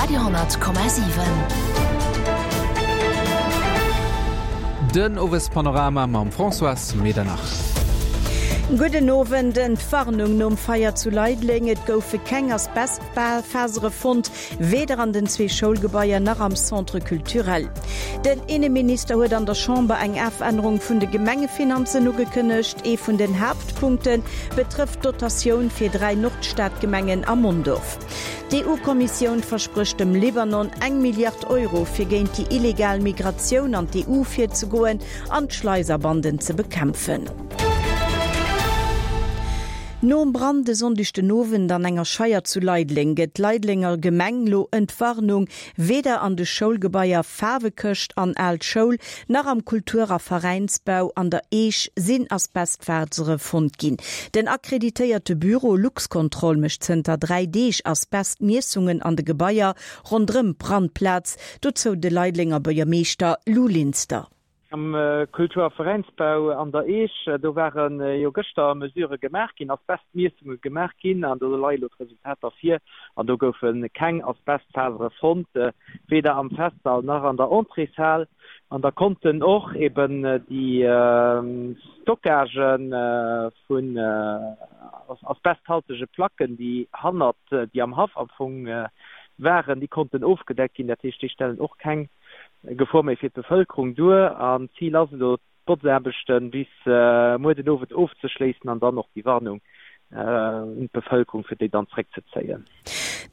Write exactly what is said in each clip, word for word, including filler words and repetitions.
Radio honnert Komma siwen. Den Owespanorama mam Françoise Medernach. Gudden Owend. Entwarnung nom Feier zu Leideleng, Et goufe keng Asbestfasere fonnt, weder an den zwee Schoulgebaier nach am Centre culturel. Den Inneminister huet an der Chamber eng Afännerung vun de Gemengefinanzen ugekënnegt. Ee vun den Haaptpunkte betrëfft d'Dotatioun fir dräi Nordstadgemengen a Mondorf. D'EU-Kommissioun versprécht dem Libanon eng Milliard Euro, fir géint déi illegal Migratioun an d'EU virzegoen an d'Schleiserbanden ze bekämpfen. Nom Brand e Sonndeg den Owend an enger Scheier zu Leideleng gëtt d'Leidelenger Gemeng lo Entwarnung, Weder an de Schoulgebaier Faarwekëscht an Al Schoul nach am Kultur a Veräinsbau an der Eech sinn Asbestfasere fonnt ginn. Den akkreditéierte Büro Luxcontrol mécht zënter dräi Deeg Asbestmiessungen an de Gebaier ronderëm d'Brandplaz, dozou de Leidelenger Buergermeeschter Lou Linster. Am Kultur a Veräinsbau an der Eech, do ware jo gëschter Mesurë gemaach ginn, Asbestmiessunge gemaach ginn an do leie lo d'Resultater vir an do goufe keng Asbestfasere fonnt, weder am Festsall nach an der Entréeshal. An da konnten och eben déi Stockagë vun asbesthaltege Placken, déi hannert, déi am Haff am Fong waren, déi konnten ofgedeckt ginn. Dat heescht, déi stellen och keng Gefor méi fir d'Bevëlkerung duer. An d'Zil ass elo, d'Botzaarbechte bis muer den Owend ofzeschléissen an dann och déi Warnung un d'Bevëlkerung, fir déi dann zréckzezéien.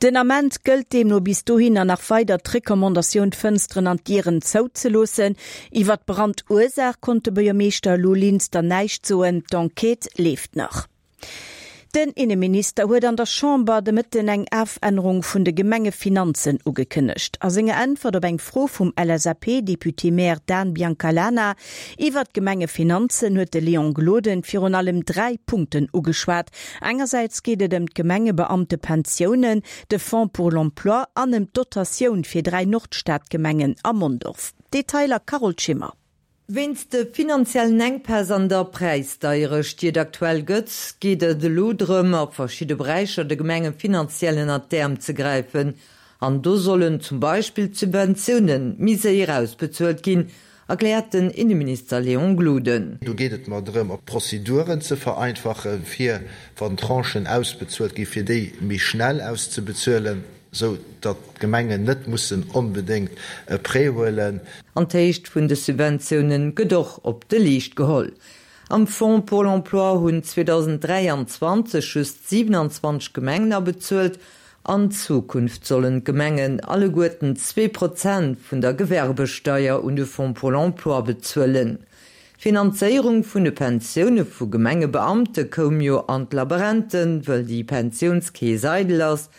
Den Ament gëllt deemno bis dohinner nach weider d'Recommandatioun, d'Fënsteren an d'Dieren zouzeloossen. Iwwer d'Brandursaach konnt de Buergermeeschter Lou Linster näischt soen, d'Enquête leeft nach. Den Inneminister huet an der Chamber de Mëtten eng Afännerung vun de Gemengefinanzen ugekënnegt. A senger Äntwert op eng Fro vum L S A P-Député-Maire Dan Biancalana iwwert d'Gemengefinanzen huet de Léon Gloden virun allem dräi Punkten ugeschwat. Engersäits geet et ëm d'Gemengebeamtepensiounen, de Fonds pour l'emploi an ëm d'Dotatioun fir dräi Nordstadgemengen a Mondorf. Detailer Carole Schimmer. Wéinst de finanziellen Enkpäss an der Präisdeierecht, déi et aktuell gëtt, geet et elo drëm, a verschidde Beräicher de Gemenge finanziell ënnert d'Äerm ze gräifen. An do sollen zum Beispill d'Subventioune méi séier ausbezuelt ginn, erkläert den Inneminister Léon Gloden. Do geet et mer drëm, och d'Prozeduren ze vereinfachen, fir wann Tranchen ausbezuelt ginn, fir déi méi schnell auszebezuelen, sou datt d'Gemengen net mussen onbedéngt e Prêt huelen. An d'Héicht vun de Subventioune gëtt och op de Leescht geholl. Am Fonds pour l'emploi hunn zweedausend dräianzwanzeg just siwenanzwanzeg Gemengen abezuelt. An Zukunft sollen d'Gemengen alleguerten zwee Prozent vun der Gewerbesteier un de Fonds pour l'emploi bezuelen. D'Finanzéierung vun de Pensioune vu Gemengebeamte koum jo an d'Laberenten, wëll déi Pensiounskeess eidel ass.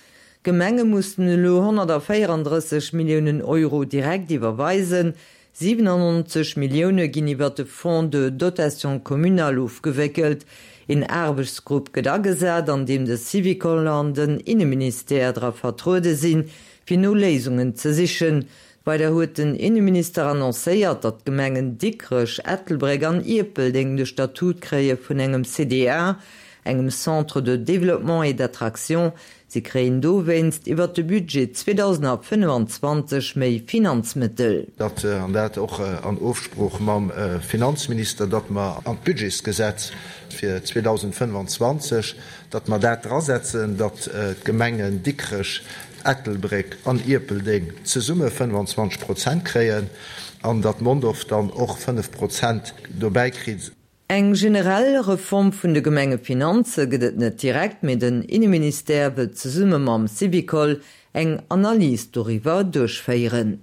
D'Gemenge mussen elo honnertvéierandrësseg Milliounen Euro direkt iwwerweisen, siwenannonzeg Millioune ginn iwwer de Fonds de dotation communale ofgewéckelt. Een Aarbechtsgrupp gëtt agesat, an deem de Syvicol an den Inneministère dra vertruede sinn, fir no Léisungen ze sichen. Weider huet den Inneminister annoncéiert, datt d'Gemengen Dikrech, Ettelbréck an Ierpeldeng de Statut kréie vun engem C D A, engem Centre de développement et d'attraction. Si kréien dowéinst iwwer de Budget zweedausendfënnefenzwanzeg méi Finanzmëttel. Datt, an dat och an Ofsprooch mam Finanzminister, datt mer an d'Budgetsgesetz fir zweedausendfënnefenzwanzeg, datt mer dat drasetzen, datt d'Gemengen Dikrech, Ettelbréck an Ierpeldeng zesumme fënnefenzwanzeg Prozent kréien an datt Mondorf dann och fënnef Prozent dobäi kritt. Eng generell Reform vun de Gemengefinanze gëtt et net direkt, mee den Inneministère wëllt zesumme mam Syvicol eng Analys doriwwer duerchféieren.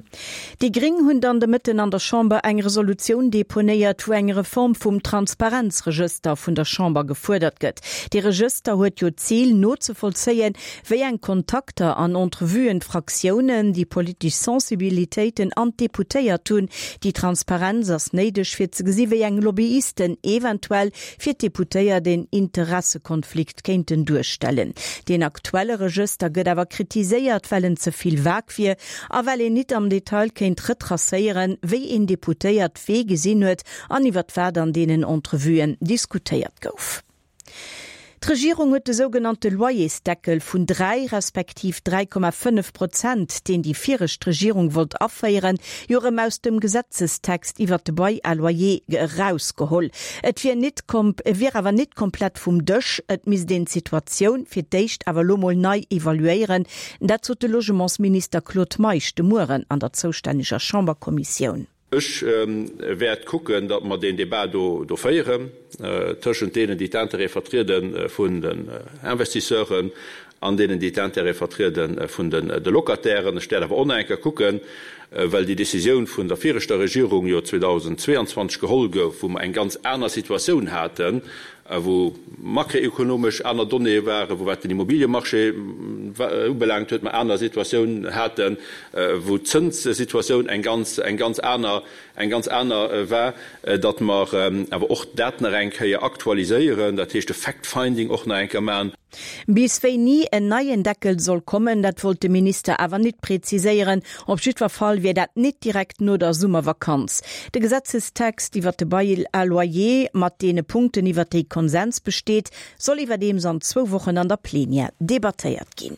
Déi Gréng hunn dann de Mëtten an der Chamber eng Resolutioun deponéiert, wou eng Reform vum Transparenzregëster vun der Chamber gefuerdert gëtt. De Regëster huet jo d'Zil nozevollzéien, wéi eng Kontakter an Entrevuen d'Fraktiounen, déi politesch Sensibilitéiten an d'Deputéiert hunn. Déi Transparenz ass néideg fir ze gesi wéi eng Lobbyisten eventuell fir d'Deputéiert een Interessekonflikt kéinten duerstellen. Den aktuelle Regëster gëtt awer kritiséiert, well en ze vill vag wier a well een net am Detail kéint retracéieren, wéi een Deputéiert wee gesinn huet an iwwer wat an deenen Entrevuen diskutéiert gouf. D'Regierung huet de sougenannte Loyersdeckel vun dräi respektiv dräi Komma fënnef Prozent, deen déi viregt Regierung wollt aféieren, jo erëm aus dem Gesetzestext iwwert de Bail à loyer erausgeholl. Et wier nit wier awer nit komplett vum Dësch, et misst een d'Situatioun fir d'éischt awer elo mol nei evaluéieren. Dat sot de Logementsminister Claude Meisch de Mueren an der zoustänneger Chamberkommissioun. Ech wäert kucken, datt mer deen Débat do féieren tëschent deenen, déi d'Intérêtë vertriede vun den Investisseuren an deenen, déi d'Intérêtë vertriede vun de Locatairen. Ech wäert awer och nach eng Kéier kucken, well déi Décisioun vun der viregter Regierung jo zweedausendzweeanzwanzeg geholl gouf, wou mer eng ganz aner Situatioun haten, wou makroekonomesch aner Donnéeë waren, wou wat den Immobiliemarché ubelaangt huet, mer aner Situatioun haten, wou d'Zënssituatioun eng ganz, eng ganz aner, eng ganz aner war, datt mer awer och dat nach eng Kéier aktualiséieren, dat heescht e Fact-finding och nach eng Kéier maachen. Bis wéini en neien Deckel soll kommen, dat wollt de Minister awer nit präziséieren. Op jiddwer Fall wier dat nit direkt no der Summervakanz. De Gesetzestext iwwer de Bail à loyer, mat deene Punkten iwwer déi Konsens besteet, soll iwwerdeems an zwou Wochen an der Plenière debattéiert ginn.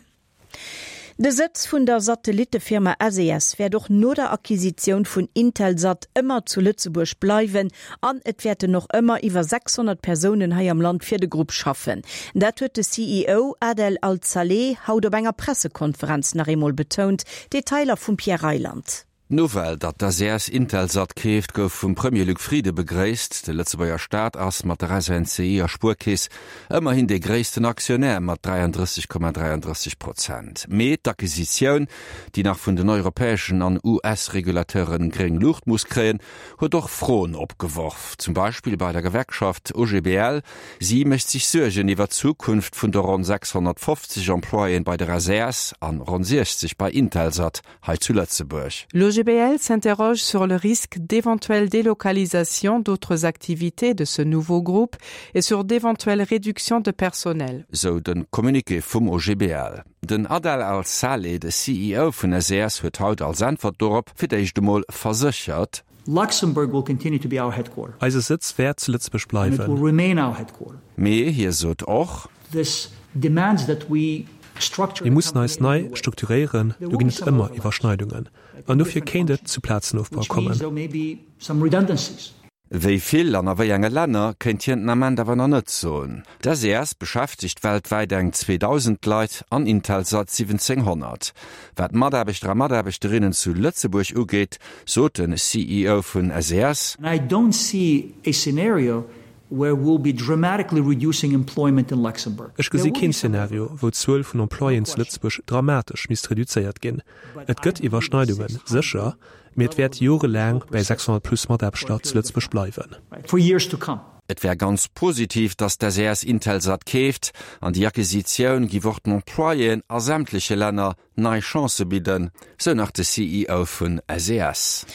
De Sëtz vun der Satellittefirma S E S wäert och no der Acquisitioun vun Intelsat ëmmer zu Lëtzebuerg bleiwen an et wäerten och ëmmer iwwer sechshonnert Persounen hei am Land fir de Grupp schaffen. Dat huet de C E O Adel Al-Saleh haut op enger Pressekonferenz nach eemol betount. Detailer vum Pierre Reyland. D'Nouvelle, datt d'S E S Intelsat keeft, gouf vum Premier Luc Frieden begréisst. De Lëtzebuerger Staat ass mat der S N C I a Spuerkeess ëmmerhin dee gréissten Aktionär mat dräiandrësseg Komma dräiandrësseg Prozent. Mee d'Acquisitioun, déi nach vun den europäeschen an U S-Regulateuren gréng Luucht muss kréien, huet och Froen opgeworf. Zum Beispill bei der Gewerkschaft O G B L. Si mécht sech Suergen iwwer d'Zukunft vun de ronn sechshonnertfofzeg Employéen bei der S E S an ronn siechzeg bei Intelsat hei zu Lëtzebuerg. L'O G B L s'interroge sur le risque d'éventuelle délocalisation d'autres activités de ce nouveau groupe et sur d'éventuelles réductions de personnel. Sou de Communiqué vum O G B L. Den Adel Al-Saleh, de C E O vun S E S, huet haut als Äntwert dorop fir d'éischt emol verséchert: Luxembourg will continue to be our headquarter. Eise Sëtz wäert zu Lëtzebuerg And it bleiwen. will remain our headquarter. Mee hie sot och: This demands that we structure Mir mussen eis nei strukturéieren, do ginn et ëmmer Iwwerschneidungen. An dofir kéint et zu Plazenofbau which means kommen. there may be some redundancies. Wéi vill an a wéi enge Länner kéint hien den Ament awer nach net soen. D'S E S beschäftegt weltwäit eng zweedausend Leit an Intelsat siwwenzénghonnert. Wat Mataarbechter a Mataarbechterinnen zu Lëtzebuerg ugeet, sot den C E O vun S E S: And I don't see a scenario where we'll be dramatically reducing employment in Luxembourg. Ech gesi keen Szenario, wou d'Zuel vun Employéen zu Lëtzebuerg dramatesch misst reduzéiert ginn. Et gëtt Iwwerschneidungen, sécher, mee et wäert jorelaang bei sechshonnert plus Mataarbechter zu Lëtzebuerg bleiwen. For years to come. Et wär ganz positiv, datt d'S E S Intelsat keeft an déi Acquisitioun giff och den Employéen a sämtleche Länner nei Chancë bidden, sou nach de C E O vun S E S.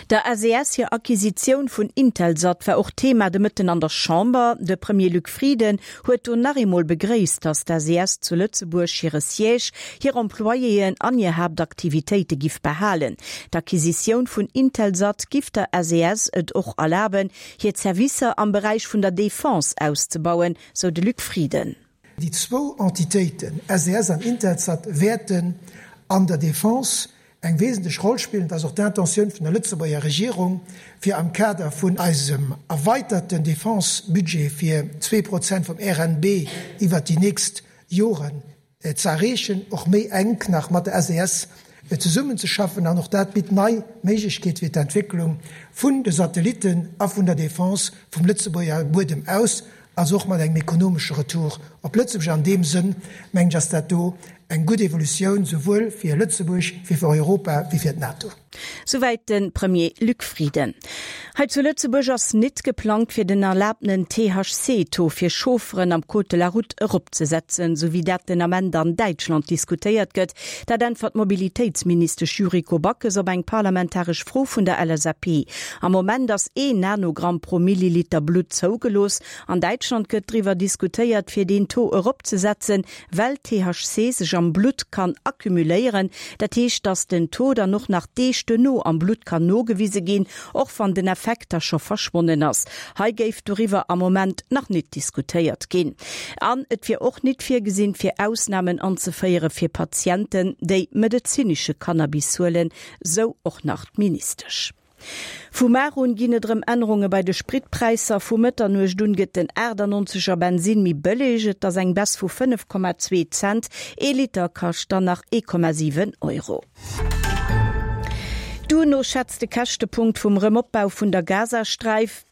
Der S E S hir Acquisitioun vun Intelsat war och Thema de Mëtten an der Chamber. De Premier Luc Frieden huet do nach eemol begréisst, datt d'S E S zu Lëtzebuerg hire Siège, hir Employéen an hir Haaptaktivitéite giff behalen. D'Acquisitioun vun Intelsat giff der S E S et och erlaben, hir Servicer am Beräich vun der Defense auszebauen, sou de Luc Frieden. Déi zwou Entitéiten, S E S an Intelsat, wäerten an der Defense eng wesentlech Roll spillen. Dat ass och d'Intentioun vun der Lëtzebuerger Regierung, fir am Kader vun eisem erweiterten Defense-Budget fir zwee Prozent vum R N B iwwer déi nächst Joren ze erreechen, och méi enk nach mat der S E S zesummenzeschaffen. An och dat bitt nei Méiglechkeete fir d'Entwécklung vun de Satellitten a vun der Defense vum Lëtzebuerger Buedem aus, also och mat engem ekonomesche Retour op Lëtzebuerg. An deem Sënn mengen ech, ass dat do eng gutt Evolutioun, souwuel fir Lëtzebuerg wéi fir Europa wéi fir d'NATO. Souwäit de Premier Luc Frieden. Hei zu Lëtzebuerg ass net geplangt fir den erlaabtenen T H C-Taux fir Chaufferen am Code de la Route eropzesetzen, sou wéi dat den Ament an Däitschland diskutéiert gëtt. Dat äntwert d'Mobilitéitsministesch Yuriko Backes op eng parlamentaresch Fro vun der L S A P. Am Moment ass een Nanogramm pro Milliliter Blutt zougelooss. An Däitschland gëtt driwwer diskutéiert fir den Taux eropzesetzen, well T H C sech am Blutt kann akkumuléieren. Dat heescht, dass den Taux dann och nach Deeg duerno am Blutt kann nogewise ginn, och wann den Effekt da scho verschwonnen ass. Hei géif doriwwer am Moment nach net diskutéiert ginn. An et wier och net virgesinn, fir Ausnamen anzeféiere fir Patienten, déi medezinesche Cannabis huelen, sou och nach d'Ministesch. Vu mar un ginn et rëm Ännerunge bei de Spritpräisser. Vu Mëtternuecht un gëtt den achtannonzeger Bensin méi bëlleg, et ass eng Baisse vu fënnef Komma zwee Cent, ee Liter kascht dann nach ee Komma siwen Euro. D'UNO schätzt de Käschtepunkt vum Rëmopbau vun der Gazasträif,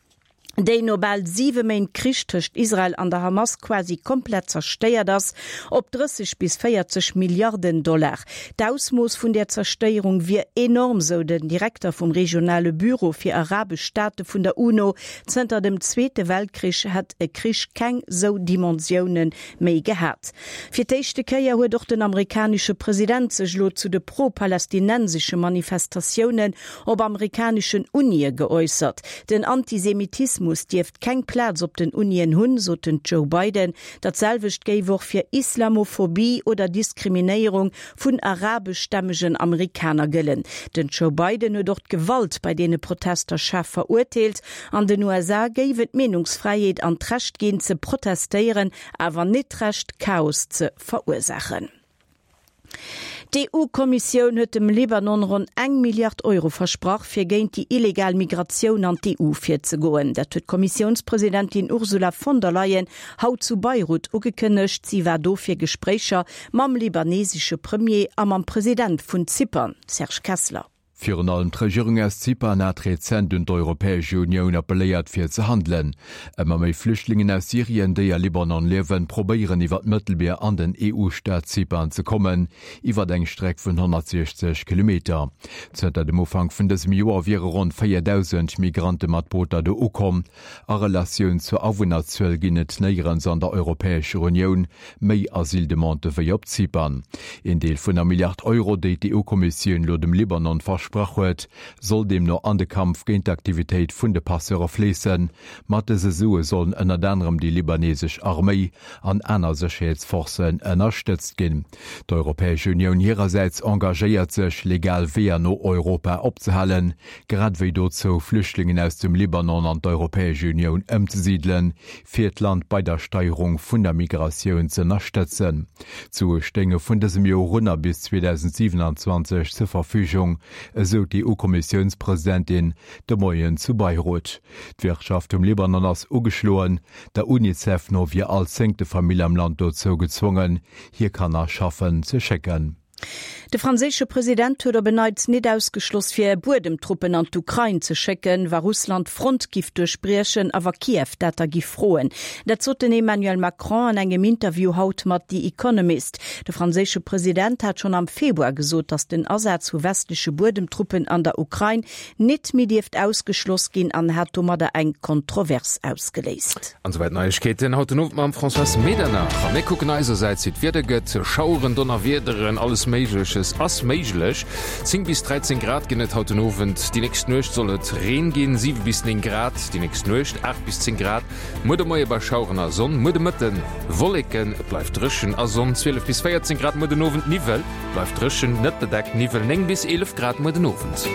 déi no bal siwe Méint Krich tëscht Israel an der Hamas quasi komplett zerstéiert ass, op drësseg bis véierzeg Milliarden Dollar. D'Ausmooss vun der Zerstéierung wier enorm, sou den Direkter vum regionale Büro fir arabesch Staate vun der UNO. Zënter dem Zweete Weltkrich hätt e Krich keng sou Dimensioune méi gehat. Fir d'éischte Kéier huet och den amerikanesche President sech elo zu de pro-palästinensesche Manifestatiounen op amerikaneschen Unie geäussert. Den Antisemitismus dierft keng Plaz op den Unien hunn, sot den Joe Biden. Dat selwecht géif och fir Islamophobie oder Diskriminéierung vun arabeschstämmegen Amerikaner gëllen. Den Joe Biden huet och d'Gewalt bei deene Protester schaarf verurteelt. An den U S A géif et d'Meenungsfräiheet an d'Recht ginn ze protestéieren, awer net d'Recht Chaos ze verursaachen. D'EU-Kommissioun huet dem Libanon ronn eng Milliard Euro versprach, fir géint déi illegal Migratioun an d'E U virzegoen. Dat huet d'Kommissiounspresidentin Ursula von der Leyen haut zu Beirut ugekënnegt. Si war do fir Gespréicher mam libanesesche Premier a mam President vun Zypern, Serge Kessler. Virun allem d'Regierung aus Zypern hat rezent un d'Europäesch Unioun appelléiert fir ze handelen. Ëmmer méi Flüchtlingen aus Syrien, déi a Libanon liewen, probéieren iwwer d'Mëttelmier an den E U-Staat Zypern ze kommen, iwwer eng Streck vun honnertsiechzeg Kilometer. Zënter dem Ufank vun dësem Joer wiere ronn véierdausend Migrante mat Booter do ukomm. A Relatioun zur Awunnerzuel ginn et néierens an der Europäescher Unioun méi Asyldemandë wéi op Zypern. Een Deel vun der Milliard Euro, déi d'E U-Kommissioun lo dem Libanon versprach huet, soll deemno an de Kampf géint d'Aktivitéit vun de Passeure fléissen. Mat dëse Sue sollen ënnert anerem déi libanesesch Arméi an aner Sécherheetsforcen ënnerstëtzt ginn. D'Europäesch Unioun hirersäits engagéiert sech, legal Weeër no Europa opzehalen, grad wéi dozou, Flüchtlingen aus dem Libanon an d'Europäesch Unioun ëmzesidelen, fir d'Land bei der Steierung vun der Migratioun ze ënnerstëtzen. D'Sue stéinge vun dësem Joer un a bis zweedausendsiwenanzwanzeg zur Verfügung, esou d'E U-Kommissiounspresidentin de Moien zu Beirut. D'Wirtschaft um Libanon ass ugeschloen, der UNICEF no wier all zéngte Famill am Land dozou gezwongen, hir Kanner schaffen ze schécken. De franséische President huet op en Neits net ausgeschloss fir Buedemtruppen an d'Ukrain ze schécken, wa Russland d'Front giff duerchbriechen a wa Kiew dat da giff froen. Dat sot den Emmanuel Macron an engem Interview haut mat The Economist. De franséische President hat schonn am Februar gesot, datt den Asaz vu westleche Buedemtruppen an der Ukrain net méi dierft ausgeschloss ginn an hat domadder eng Kontrovers ausgeléist. An souwäit Neiegkeeten haut den Owend mam Françoise Medernach. A mir kucken eisersäits wéi d'Wieder gëtt, Schaueren, Donnerwiederen, alles Méigleches ass méiglech. Zéng bis dräizéng Grad ginn et haut den Owend. Déi nächst Nuecht soll et Reen ginn, siwe bis néng Grad déi nächst Nuecht, aacht bis zéng Grad muer de Moie bei Schaueren a Sonn, muer de Mëtte Wolleken, et bleift dréchen a Sonn, zwielef bis véierzéng Grad muer den Owend, Niwwel, bleift dréchen, net bedeckt, Niwwel, néng bis eelef Grad muer den Owend.